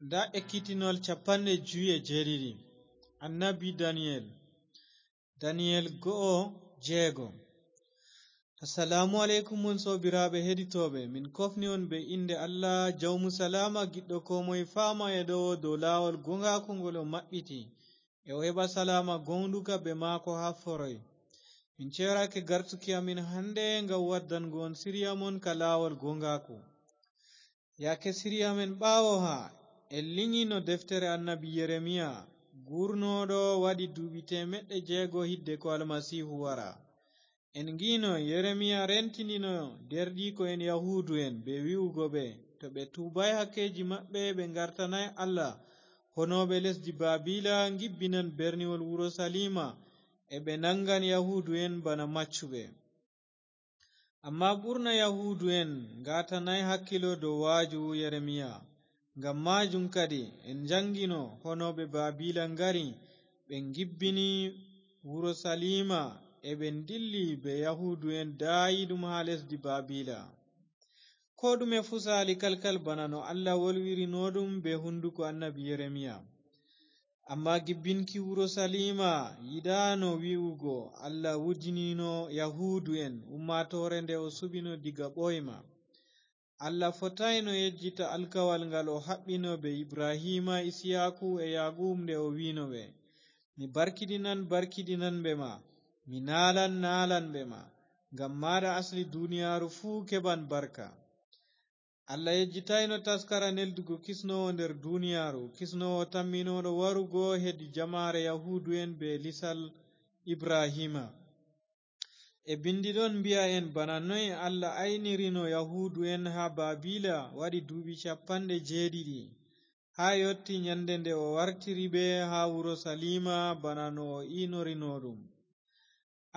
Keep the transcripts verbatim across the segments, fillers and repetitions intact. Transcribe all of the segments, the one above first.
Nda ekkitinol capanɗe jowi e jeeɗiɗi. Annabi Daniyel. Daniyel go'o jeego. Assalaamu aleykum, mon soobiraaɓe heɗitooɓe. Min kofni on be innde Allah, jawmu salaama, giɗɗo koo moye faama e ɗowo dow laawol goongaaku ngol o maɓɓiti, e o heɓa salaama goonɗuka be maako haa foroy. Min ceerake gartuki amin hande ngam waddango on siriya mon ka laawol goongaaku. Yaake siriya men ɓaawo haa en linyino deftere annabi Yeremiya, guurnooɗo waɗi duuɓi teemeɗɗe jeego hidde ko Almasiihu wara. En ngiino Yeremiya rentindino deerɗiiko'en Yahuudu'en be wi'ugo ɓe, to ɓe tuubaay hakkeeji maɓɓe, ɓe ngartanaay Allah, honooɓe lesdi Baabila ngibbinan berniwol Urusaliima, e ɓe naŋgan Yahuudu'en bana maccuɓe. Ammaa ɓurna Yahuudu'en ngaatanaay hakkilo dow waaju Yeremiya. Ngam maajum kadi en njaŋgino honooɓe Baabila ngari, ɓe ngibbini Urusaliima, e ɓe ndilli be Yahuudu'en daayiiɗum haa lesdi Baabila. Koo ɗume fuu saali kalkal bana no Allah wolwirino ɗum be hunduko annabi Yeremiya. Ammaa gibbinki Urusaliima yiɗaano wi'ugo Allah wujinino Yahuudu'en, ummaatoore nde o suɓino diga ɓooyma. Allah fotaayno yejjita alkawal ngal o haɓɓino be Ibrahiima, Isiyaaku e Yaquub nde o wi'no ɓe, "Mi barkiɗinan barkiɗinanɓe ma, mi naalan naalanɓe ma, ngam maaɗa asli duniyaaru fuu keɓan barka." Allah yejjitayno taskara neldugo kisnoowo nder duniyaaru, kisnoowo tamminooɗo warugo hedi jamaare Yahuudu'en be lisal Ibrahiima. E bindi ɗon mbi'a en bana noy Allah aynirino Yahuudu'en haa Baabila waɗi duuɓi capanɗe jeeɗiɗi, haa yotti nyande nde o wartiri ɓe haa Urusaliima bana no o inorino ɗum.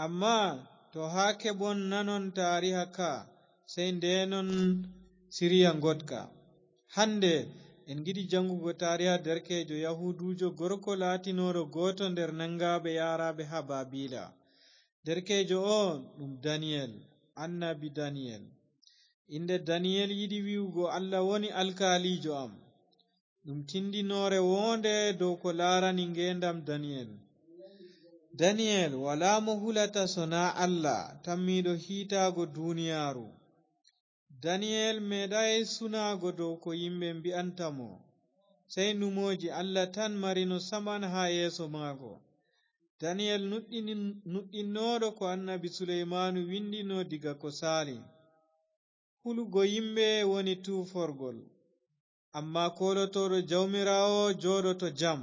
Ammaa to haa keɓon nanon taariha ka, sey ndeenon siriya ngoɗka. Hande en ngiɗi jaŋgugo taariha derkeejo Yahuuduujo gorko laatinooɗo gooto nder naŋgaaɓe yaaraaɓe haa Baabila. Derkeejo oo ɗum Daniyel, annabi Daniyel. Innde Daniyel yiɗi wi'ugo Allah woni alkaaliijo am. Ɗum tindinoore woonde dow ko laarani ngeendam Daniyel. Daniyel walaa mo hulata sonaa Allah, tammiiɗo hiitaago duniyaaru. Daniyel meeɗaay sunaago dow ko yimɓe mbi'anta mo, sey numooji Allah tan marino saman haa yeeso maako. Daniyel nuɗɗini-, nuɗɗinnooɗo ko annabi Suleymaanu windino diga ko saali. Hulugo yimɓe woni tuuforgol, ammaa koolotooɗo Jawmiraawo jooɗoto jam.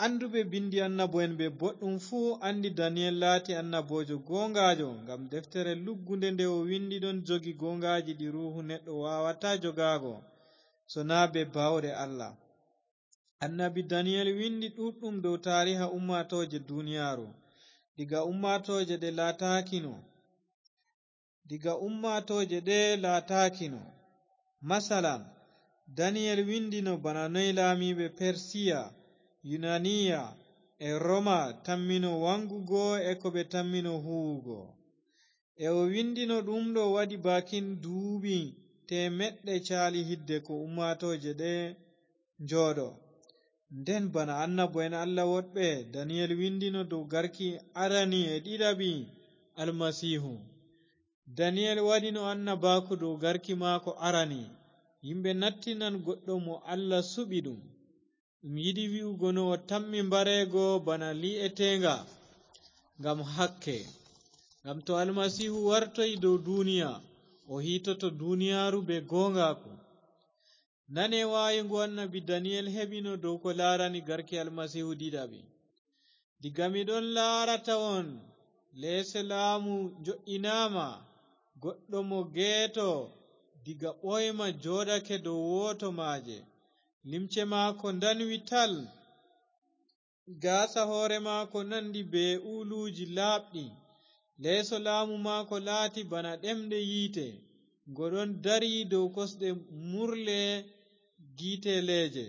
Annduɓe bindi annabo'en be boɗɗum fuu anndi Daniyel laati annaboojo gooŋgaajo, ngam deftere luggunde nde o windi ɗon jogi gooŋgaaji ɗi ruuhu neɗɗo waawataa jogaago, sonaa bee baawɗe Allah. Annabi Daniyel windi ɗuuɗɗum dow taariha ummaatooje duniyaaru, diga ummaatooje ɗe laataakino. Diga ummaatooje ɗe laataakino. Masalan, Daniyel windino bana noy laamiiɓe Persiya, Yunaniya e Roma tammino waŋgugo e ko ɓe tammino huuwugo. E o windino ɗum ɗo waɗi baakin duuɓi teemeɗɗe caali hidde ko ummaatooje ɗe njooɗo. Nden bana annabo'en Allah woɗɓe, Daniyel windino dow garki arani e ɗiɗaɓi Almasiihu. Daniyel waɗino annabaaku dow garki maako arani. Yimɓe nattinan goɗɗo mo Allah suɓi ɗum. Ɗum yiɗi wi'ugo no o tammi mbareego bana lii'eteeŋga ngam hakke. Ngam to Almasiihu wartoyi dow duniya, o hiitoto duniyaaru bee gooŋgaaku. Nane waayu ngu annabi Daniyel heɓino dow ko laarani garki Almasiihu ɗiɗaɓi. Diga mi ɗon laara tawon, leese laamu njo'inaama, goɗɗo mo geeto diga ɓooyma jooɗake dow wooto maaje. Limce maako ndanwi tal. Gaasa hoore maako nandi bee uluuji laaɓɗi. Leeso laamu maako laati bana ɗemɗe yiite, ngo ɗon dari dow kosɗe murle giiteleeje.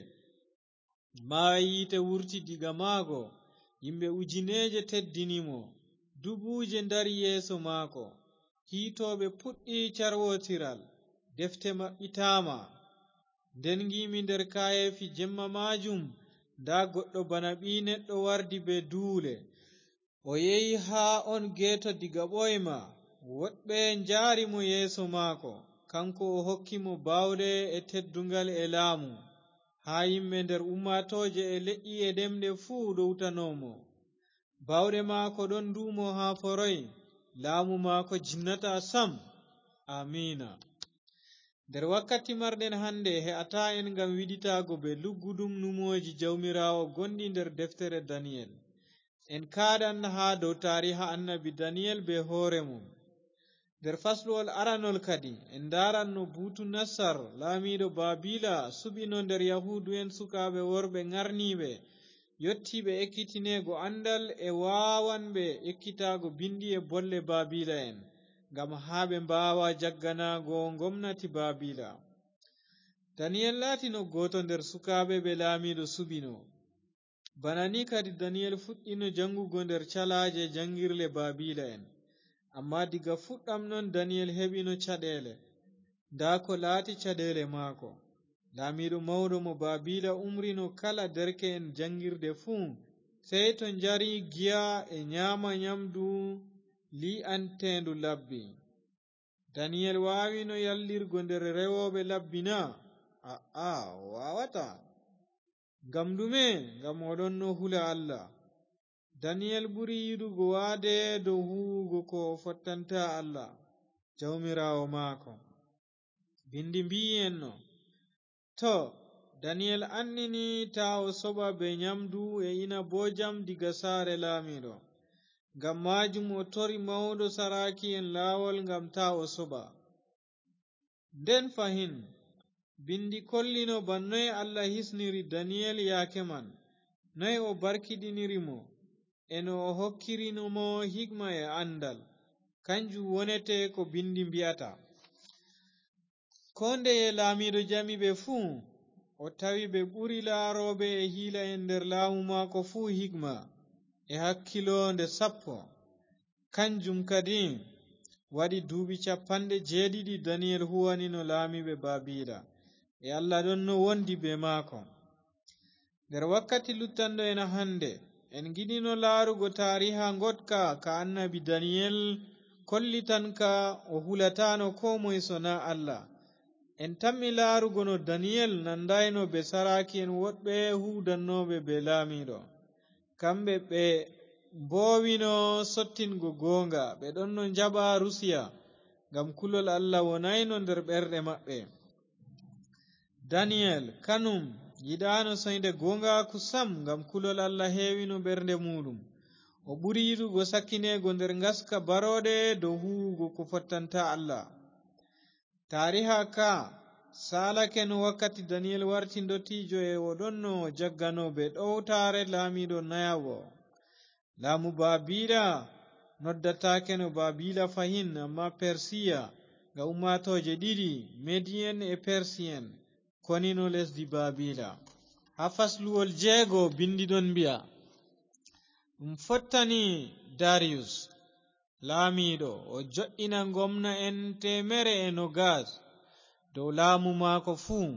Maayi yiite wurti diga maago, yimɓe ujineeje teddini mo, dubuuje ndari yeeso maako. Hiitooɓe puɗɗi carwootiral, defte maɓɓitaama. Nden ngiimi nder kaayeefi jemma maajum, ndaa goɗɗo bana ɓii neɗɗo wardi bee duule. O yehi haa on geeto diga ɓooyma. Woɗɓe njaari mo yeeso maako, kaŋko o hokki mo baawɗe e tedduŋgal e laamu, haa yimɓe nder ummaatooje e leƴƴi e ɗemɗe fuu ɗowtano mo. Baawɗe maako ɗon nduumo haa foroy, laamu maako jimnataa sam. Amiina. Nder wakkati marɗen hannde, he'ataa en ngam wiɗitaago bee lugguɗum numooji Jawmiraawo gonɗi nder deftere Daniyel. En kaaɗan haa dow taariha annabi Daniyel bee hoore mum. Nder fasluwol aranol kadi, en ndaaran no Buutu Nassar, laamiiɗo Baabila, suɓino nder Yahuudu'en sukaaɓe worɓe ŋarniiɓe, yottiiɓe ekkitineego anndal e waawanɓe ekkitaago binndi e bolle Baabila'en, ngam haa ɓe mbaawa jagganaago ngomnati Baabila. Daniyel laatino gooto nder sukaaɓe ɓe laamiiɗo suɓino. Bana ni kadi Daniyel fuɗɗino jaŋgugo nder calaaje jaŋgirle Baabila'en. Ammaa diga fuɗɗam non Daniyel heɓino caɗeele. Ndaa ko laati caɗeele maako. Laamiiɗo mawɗo mo Baabila umrino kala derke'en jaŋgirde fuu, sey to njari giya e nyaama nyamdu lii'anteendu labbi. Daniyel waawino yallirgo nder rewooɓe labbi na? A'a, o waawataa. Ngam ɗume? Ngam o ɗonno hula Allah. Daniyel ɓuri yiɗugo waade dow huuwugo ko o fottanta Allah, Jawmiraawo maako. Binndi mbi'i en no, to, Daniyel annini taa o soɓa bee nyamdu e inaboojam diga saare laamiiɗo. Ngam maajum o tori mawɗo saraaki'en laawol ngam taa o soɓa. Nden fahin, binndi kollino ban noy Allah hisniri Daniyel yaake man, noy o barkiɗiniri mo, e no o hokkirino mo hikma e anndal. Kanjum wonete ko binndi mbi'ata. Koo ndeye laamiiɗo jami ɓe fuu, o tawi ɓe ɓuri laarooɓe e hiila'en nder laamu maako fuu hikma e hakkilo nde sappo. Kanjum kadi waɗi duuɓi capanɗe jeeɗiɗi Daniyel huwanino laamiiɓe Baabila, e Allah ɗonno wondi bee maako. Nder wakkati luttanɗo en hannde, en ngiɗino laarugo taariha ngoɗka ka annabi Daniyel kollitanka o hulataano koo moy so naa Allah. En tammi laarugo no Daniyel nandayno bee saraaki'en woɗɓe huuwdannooɓe bee laamiiɗo. Kamɓe ɓe mboowino sottingo gooŋga, ɓe ɗonno njaɓa Rusiya, ngam kulol Allah wonayno nder ɓerɗe maɓɓe. Daniyel, kanum, yiɗaano soynde gooŋgaaku sam, ngam kulol Allah heewino ɓernde muuɗum. O ɓuri yiɗugo sakkineego nder ngaska barooɗe dow huuwugo ko fottanta Allah. Taariha ka saalake no wakkati Daniyel warti ndottiijo e o ɗonno jaggano bee ɗowtaare laamiiɗo nayaɓo. Laamu Baabila noddataake no Baabila fahin, ammaa Persiya, nga ummaatooje ɗiɗi, Mediyen e Persiyen, konino lesdi Baabila. Haa fasluwol jeego, binndi ɗon mbi'a, ɗum fottani Dariyus, laamiiɗo, o joɗɗina ngomna'en teemere e nogas dow laamu maako fuu.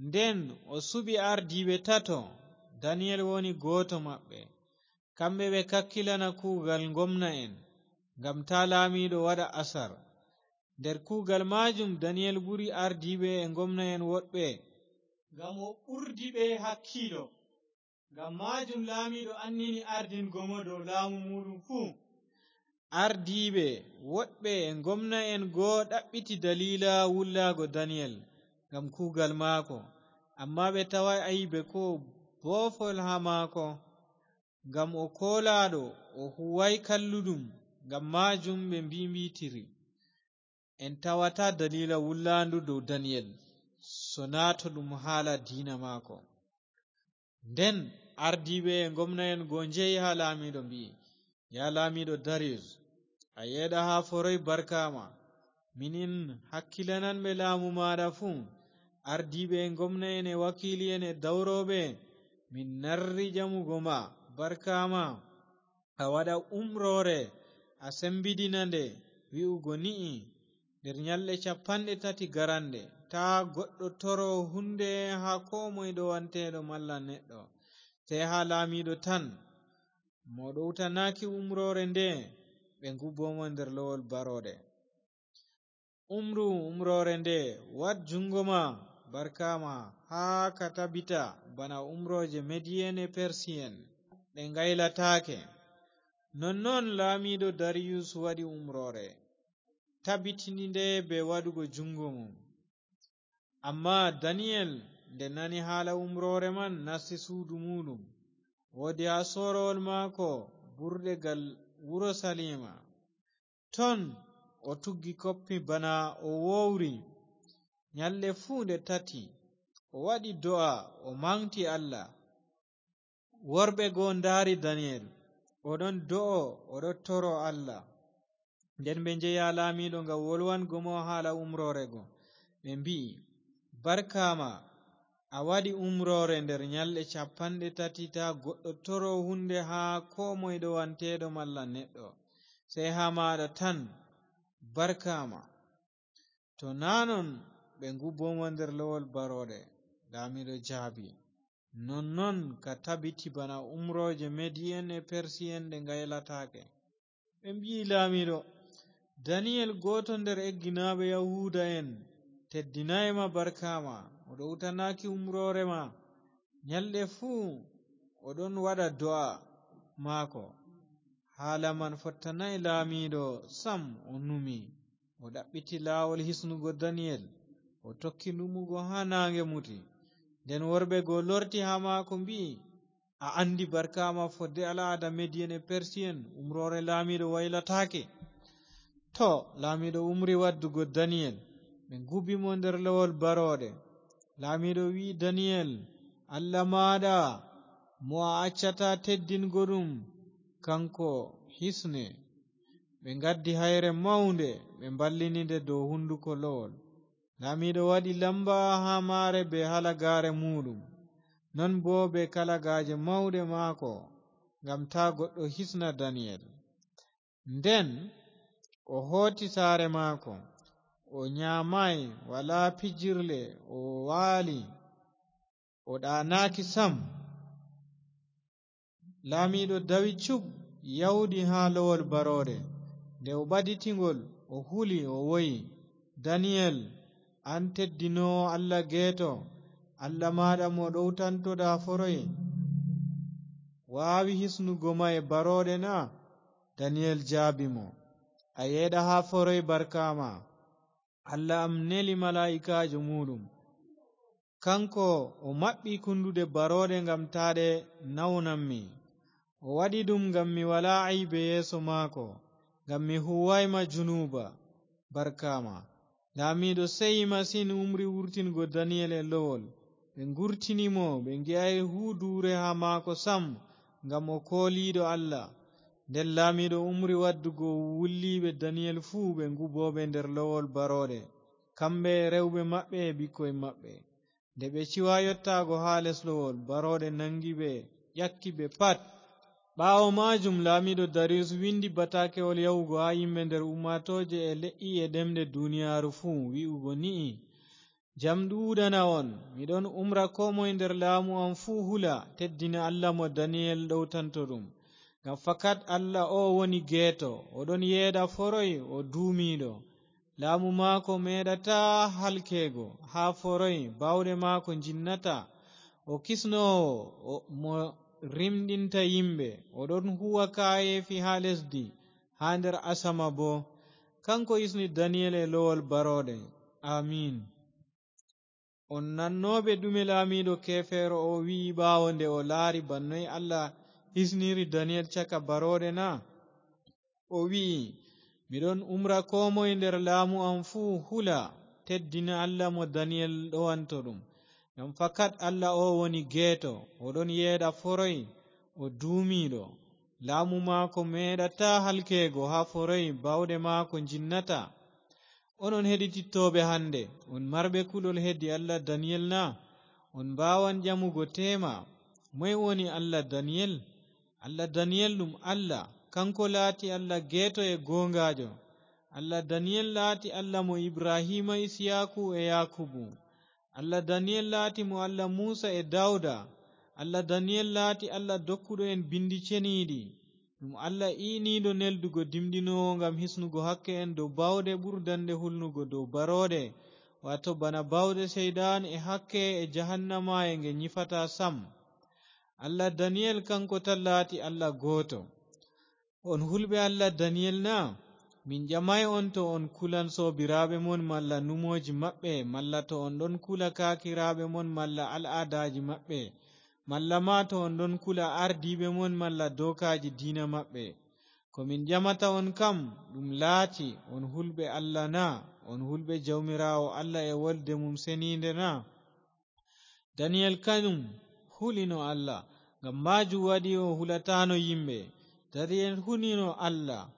Nden o suɓi ardiiɓe tato, Daniyel woni gooto maɓɓe. Kamɓe ɓe kakkilana kuugal ngomna'en, ngam taa laamiiɗo waɗa asar. Nder kuugal maajum, Daniyel ɓuri ardiiɓe e ngomna'en woɗɓe, ngam o ɓurdi ɓe hakkiilo. Ngam maajum laamiiɗo annini ardingo mo dow laamu muuɗum fuu. Ardiiɓe woɗɓe e ngomna'en go ɗaɓɓiti daliila wullaago Daniyel ngam kuugal maako, ammaa ɓe tawaay aybe koo boofol haa maako, ngam o koolaaɗo, o huuwaay kalluɗum. Ngam maajum ɓe mbi'mbi'tiri. En tawataa daliila wullaandu dow Daniyel, so naa to ɗum haala diina maako. Nden ardiiɓe e ngomna'en go njehi haa laamiiɗo, mbi'i, "Ya laamiiɗo Dariyus, a yeeɗa haa foroy, barkaama. Minin hakkilananɓe laamu maaɗa fuu, ardiiɓe e ngomna'en e wakiili'en e dawrooɓe, min narri ƴamugo ma, barkaama. A waɗa umroore, a sembidina nde, wi'ugo ni'i, nder nyalɗe capanɗe tati garanɗe, taa goɗɗo toro huunde haa koo moy ɗowanteeɗo malla neɗɗo, sey haa laamiiɗo tan. Mo ɗowtanaaki umroore nde, ɓe ngubbo mo nder lowol barooɗe. Umru umroore nde, waɗ juŋngo ma, barkaama, haa ka tabita bana umrooje Mediyen e Persiyen, ɗe ngaylataake. Nonnon laamiiɗo Dariyus waɗi umroore, tabitini nde bee waɗugo juŋngo mum. Ammaa Daniyel, nde nani haala umroore man, nasti suudu muuɗum. Woodi haa soorowol maako burɗe gal Urusaliima. Ton o tuggi koppi bana o wowri. Nyalɗe fuu nde tati, o waɗi do'a, o maŋgti Allah. Worɓe go ndaari Daniyel, o ɗon do'o, o ɗon toro Allah. Nden ɓe njehi haa laamiiɗo ngam wolwango mo haala umroore go. Ɓe mbi'i, "Barkaama, a waɗi umroore nder nyalɗe cappanɗe tati, taa goɗɗo toro huunde haa koo moy ɗowanteeɗo malla neɗɗo, sey haa maaɗa tan. Barkaama." To naa non, ɓe ngubbo mo nder lowol barooɗe. Laamiiɗo jaabi, "Nonnon ka tabiti bana umrooje Mediyen e Persiyen ɗe ngaylataake." Ɓe mbi'i laamiiɗo, "Daniyel, gooto nder egginaaɓe Yahuudu'en, teddinaay ma, barkaama. O ɗowtanaaki umroore ma. Nyalɗe fuu o ɗon waɗa do'a maako." Haala man fottanaay laamiiɗo sam, o numi. O ɗaɓɓiti laawol hisnugo Daniyel, o tokki numugo haa naaŋge muti. Nden worɓe go lorti haa maako, mbi'i, "A anndi barkaama fodde al'aada Mediyen e Persiyen, umroore laamiiɗo waylataake." To, laamiiɗo umri waddugo Daniyel, ɓe ngubi mo nder lowol barooɗe. Laamiiɗo wi'i Daniyel, "Allah maaɗa, mo a accataa teddingo ɗum, kaŋko hisne." Ɓe ngaddi hayre mawnde, ɓe mballini nde dow hunnduko lowol. Laamiiɗo waɗi lamba haa maare bee halagaare muuɗum, non boo bee kalagaaje mawɗe maako, ngam taa goɗɗo hisna Daniyel. Nden o hooti saare maako, o nyaamaay, walaa pijirle, o waali, o ɗaanaaki sam. Laamiiɗo dawi cub, yawdi haa lowol barooɗe. Nde o ɓaditi ngol, o huli, o woyi, "Daniyel, an teddinoowo Allah geeto, Allah maaɗa mo ɗowtantoɗa foroy, waawi hisnugo ma e barooɗe na?" Daniyel jaabi mo, "A yeeɗa haa foroy, barkaama. Allah am neli malaa'ikaajo muuɗum. Kaŋko o maɓɓi kunnduɗe barooɗe ngam taa ɗe nawnammi. O waɗi ɗum ngam mi walaa aybe yeeso maako, ngam mi huuwaay ma junuuba. Barkaama." Laamiiɗo seyi masin, umri wurtingo Daniyel e lowol. Ɓe ngurtini mo, ɓe ngi'aay huuduure haa maako sam, ngam o kooliiɗo Allah. Nden laamiiɗo umri waddugo wulliiɓe Daniyel fuu, ɓe ngubooɓe nder lowol barooɗe, kamɓe e rewɓe maɓɓe e ɓikkoy maɓɓe. Nde ɓe ciwa yottaago haa les lowol, barooɗe naŋgi ɓe, ƴakki ɓe pat. Ɓaawo maajum, laamiiɗo Dariyus windi bataakewol yahugo haa yimɓe nder ummaatooje e le'i e ɗemɗe duniyaaru fuu, wi'ugo ni'i, "Jam ɗuuɗana on. Mi ɗon umra koo moy nder laamu am fuu hula, teddina Allah mo Daniyel ɗowtanto ɗum. Ngam fakat Allah oo woni geeto, o ɗon yeeɗa foroy, o duumiiɗo. Laamu maako meeɗataa halkeego haa foroy, baawɗe maako njinnataa. O kisnoowo, o, mo rimɗinta yimɓe, o ɗon huuwa kaayeefi haa lesdi, haa nder asama boo." Kaŋko hisni Daniyel e lowol barooɗe. Amiin. On nannooɓe ɗume laamiiɗo keefeero oo wi'i ɓaawo nde o laari bana noy Allah hisniri Daniyel caka barooɗe na? O wi'i, "Mi ɗon umra koo moy nder laamu am fuu hula, teddina Allah mo Daniyel ɗowanto ɗum. Ngam fakat Allah oo woni geeto, o ɗon yeeɗa foroy, o duumiiɗo. Laamu maako meeɗataa halkeego haa foroy, baawɗe maako njinnataa." Onon heɗitittooɓe hannde, on marɓe kulol hedi Allah Daniyel na? On mbaawan ƴamugo teema, "Moy woni Allah Daniyel?" Allah Daniyel ɗum Allah, kaŋko laati Allah geeto e gooŋgaajo. Allah Daniyel laati Allah mo Ibrahiima, Isiyaaku e Yaakubu. Allah Daniyel laati mo Allah Muusa e Daawda. Allah Daniyel laati Allah dokkuɗo en binndi ceniiɗi. Ɗum Allah iiniiɗo neldugo dimɗinoowo ngam hisnugo hakke en dow baawɗe ɓurdannde hulnugo dow barooɗe, waato bana baawɗe Seyɗan e hakke e jahannama e nge nyifata sam. Allah Daniyel kanko tan laati Allah gooto. On hulɓe Allah Daniyel na? Min ƴamay on to on kulan soobiraaɓe mon malla numooji maɓɓe, malla to on ɗon kula kaakiraaɓe mon malla al'aadaaji maɓɓe, malla ma to on ɗon kula ardiiɓe mon malla dookaaji diina maɓɓe. Ko min ƴamata on kam, ɗum laati, on hulɓe Allah na? On hulɓe Jawmiraawo Allah e wolde mum seniinde na? Daniyel kanum hulino Allah, ngam maajum waɗi o hulataano yimɓe. Daniyel hulino Allah,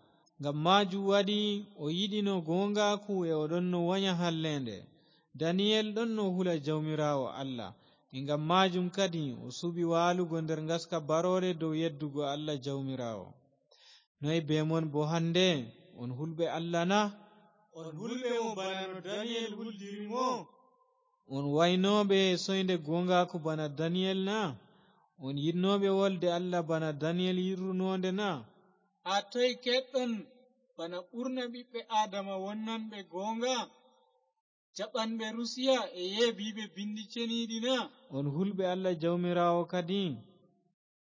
ngam maajum waɗi o yiɗino gooŋgaaku e o ɗonno wanya halleende. Daniyel ɗonno hula Jawmiraawo Allah, e ngam maajum kadi o suɓi waalugo nder ngaska baroore dow yeddugo Allah Jawmiraawo. Noy bee mon boo hannde? On hulɓe Allah na? On hulɓe mo bana no Daniyel huldiri mo? On waynooɓe soynde gooŋgaaku bana Daniyel na? On yiɗnooɓe wolde Allah bana Daniyel yiɗrunoonde na? Haa toy keɗɗon bana ɓurna ɓiɓɓe Aadama wonnanɓe gooŋga, jaɓanɓe Rusiya e yeebiiɓe binndi ceniiɗi na? On hulɓe Allah Jawmiraawo kadi?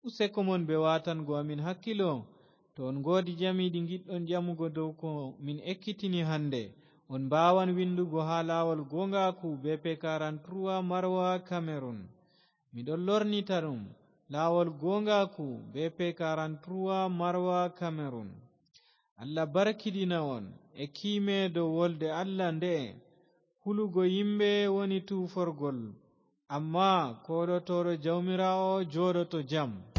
Useko mon be waatango amin hakkilo. To on ngoodi jami ɗi ngiɗɗon ƴamugo dow ko min ekkitini hannde, on mbaawan winndugo haa laawol gooŋgaaku B P quarante-trois Marwa, Cameroun. Miɗon lornita ɗum, laawol gooŋgaaku B P quarante-trois Marwa, Cameroun. Allah barkidina on e kiime dow wolde Allah nde'e. Hulugo yimɓe woni tuuforgol, ammaa koolotooɗo Jawmiraawo jooɗoto jam.